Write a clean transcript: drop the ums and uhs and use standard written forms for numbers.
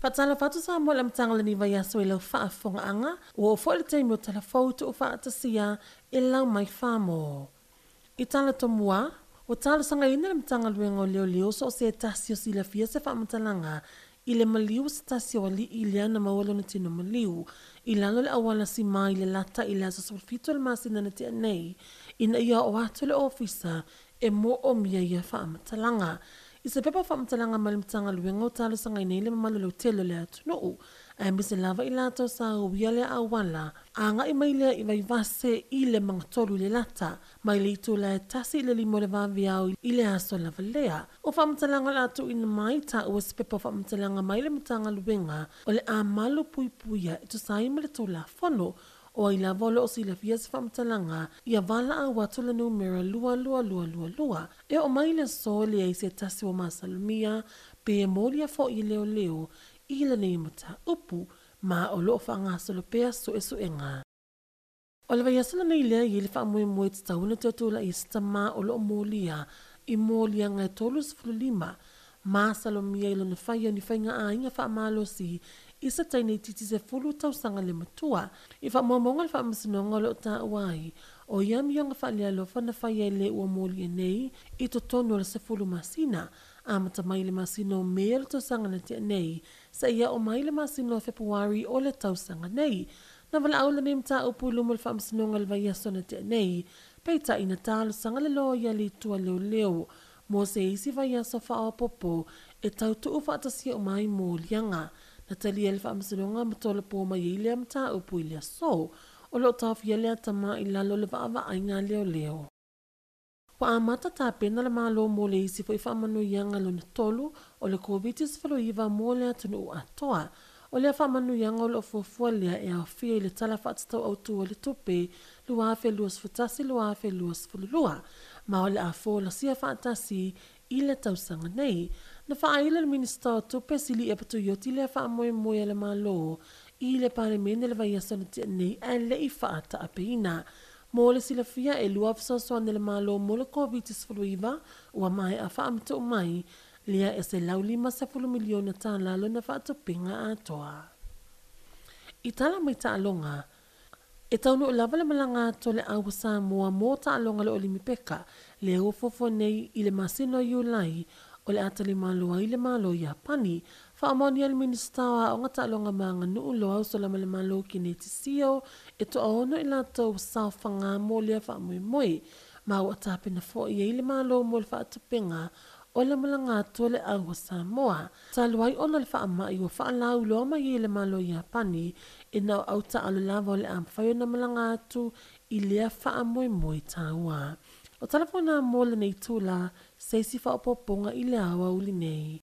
Faatalofa atu Samoa i le amataga o lenei vaiaso i lau faafofogaaga, ua oo foi le taimi o tala fou tuufaatasia e lau mai Famo. I tala tomua, ua talosagaina le Matagaluega o Leoleo so o se tasi o silafia se faamatalaga i le maliu o se tasi o alii lea na maua lona tino maliu i lalo o le auala sima i Lelata i le aso 17 o le masina na tea nei, ina ia oo atu i le ofisa e moomia ia faamatalaga. I se pepa faamatalaga mai le Matagaluega o talosagaina ai le mamalu lautele o le atunuu, aemaise lava i latou sa uia lea auala, agai mai lea i Vaivase i le magatolu i Lelata, mai le itula e 1 i le 5 o le vaveao i le aso lava lea. O faamatalaga o le a tuuina mai, taua se pepa faamatalaga mai le Matagaluega o le a malu puipuia e tusa ai ma le Tulafono. O ai lava o lo o silafia se faamatalaga, ia valaau atu le numera 22222. E oo mai le aso e leai se tasi ua masalomia pe molia foi e leoleo i lenei mataupu, ma o lo o faagasolo pea suesuega. O le vaiaso lenei lea e i ai le faamoemoe tatau ona toe tulai ai se tamā o lo o molia i moliaga e 35 masalomia i lona faia o ni faiga aiga faamalosi i se teine itiiti 10 tausaga le matua. I faamaumauga a le faamasinoga o lo o taua ai, o ia amioga faalealofa na faia e le ua molia nei i totonu o le 10 masina, amata mai i le masina o Me o le tausaga na tea nei, seia oo mai i le masina o Fepuari o le tausaga nei. Na valaau lenei mataupu i luma o le faamasinoga i le vaiaso na tea nei, peitai na talosaga le loia i le itu a leoleo mo se isi vaiaso faaopoopo e tautuu faatasia uma ai moliaga. Na talia e le faamasinoga ma tolopo mai ai lea mataupu i le aso. O lo o taofia lea tama i lalo o le vaavaaiga a leoleo. Ua amata tapena le Malo mo le isi foi faamanuiaga lona tolu o le Koviti-19 mo le atunuu atoa. O lea faamanuiaga o lo o fuafua lea e aofia i le Tala Faatatau Autu o le Tupe 2021/2022, ma o le a folasia faatasi i le tausaga nei. Na faailo e le Minisita o Tupe Siliia Tuioti lea faamoemoe a le Malo i le Palemene le vaiaso na tea nei ae le i faataapeina. Mo le silafia e lua fesoasoani a le Malo mo le Koviti-19 ua maea faamatuu mai, lea e $150 miliona tala lona faatupeina atoa. I tala mai taaloga, e taunuu lava le malaga atu a le Au Samoa mo taaloga le Olimipeka, lea ua fuafua nei i le masina o Iulai o le a talimalo ai le Malo Iapani. Faamaonia le Minisita o Aoga Taaloga ma Aganuu Loau Solamalemalo Keneti Sio e toaono i latou saofaga mo lea faamoemoe, ma ua tapena foi ai le Malo mo le faatupega o le malaga atu a le Au a Samoa. Talu ai ona o le faamai ua faalauiloa mai ai e le Malo Iapani, e na o au taalo lava o le a mafai ona malaga atu i lea faamoemoe taua. O tala foi nā mo lenei itula, se isi faaopoopoga i le aoauli nei.